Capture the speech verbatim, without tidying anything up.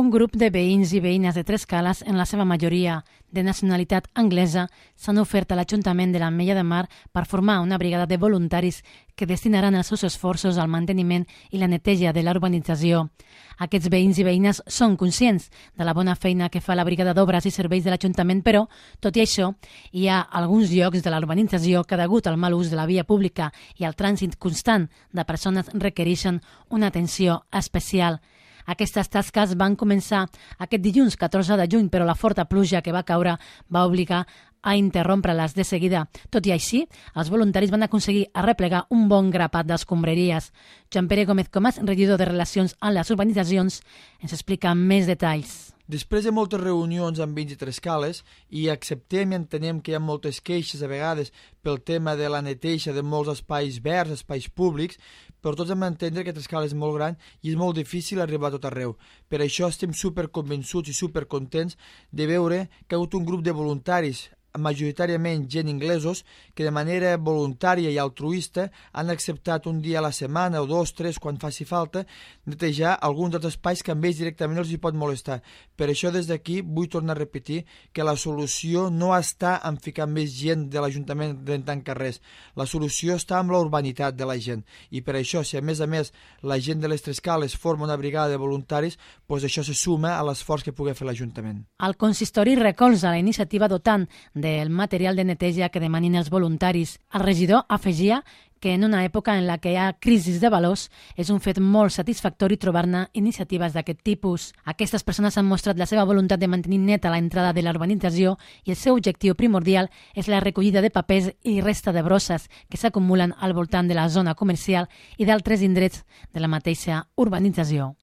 Un grup de veïns i veïnes de Trescales, en la seva majoria de nacionalitat anglesa, s'han ofert a l'Ajuntament de l'Ametlla de Mar per formar una brigada de voluntaris que destinaran els seus esforços al manteniment i la neteja de la urbanització. Aquests veïns i veïnes són conscients de la bona feina que fa la brigada d'obres i serveis de l'Ajuntament, però, tot i això, hi ha alguns llocs de la urbanització que, degut al mal ús de la via pública i al trànsit constant de persones, requereixen una atenció especial. Aquestes tasques van començar aquest dilluns catorze de juny, però la forta pluja que va caure va obligar a interrompre-les de seguida. Tot i així, els voluntaris van aconseguir arreplegar un bon grapat d'escombraries. Joan Pere Gómez Comas, regidor de Relacions amb les Urbanitzacions, ens explica més detalls. Després de moltes reunions amb veïns i Trescales, i acceptem i entenem que hi ha moltes queixes a vegades pel tema de la neteja de molts espais verds, espais públics, però tots hem d'entendre que Trescales és molt gran i és molt difícil arribar a tot arreu. Per això estem superconvençuts i supercontents de veure que hi ha hagut un grup de voluntaris, majoritàriament gent inglesos, que de manera voluntària i altruista han acceptat un dia a la setmana o dos, tres, quan faci falta, netejar alguns dels espais que amb ells directament els hi pot molestar. Per això des d'aquí vull tornar a repetir que la solució no està en ficar més gent de l'Ajuntament rentant carrers. La solució està amb la urbanitat de la gent. I per això, si a més a més la gent de les Trescales forma una brigada de voluntaris, doncs això se suma a l'esforç que pugui fer l'Ajuntament. El consistori recolza la iniciativa dotant del material de neteja que demanin els voluntaris. El regidor afegia que en una època en la que hi ha crisis de valors és un fet molt satisfactori trobar-ne iniciatives d'aquest tipus. Aquestes persones han mostrat la seva voluntat de mantenir neta la entrada de la urbanització i el seu objectiu primordial és la recollida de papers i resta de brosses que s'acumulen al voltant de la zona comercial i d'altres indrets de la mateixa urbanització.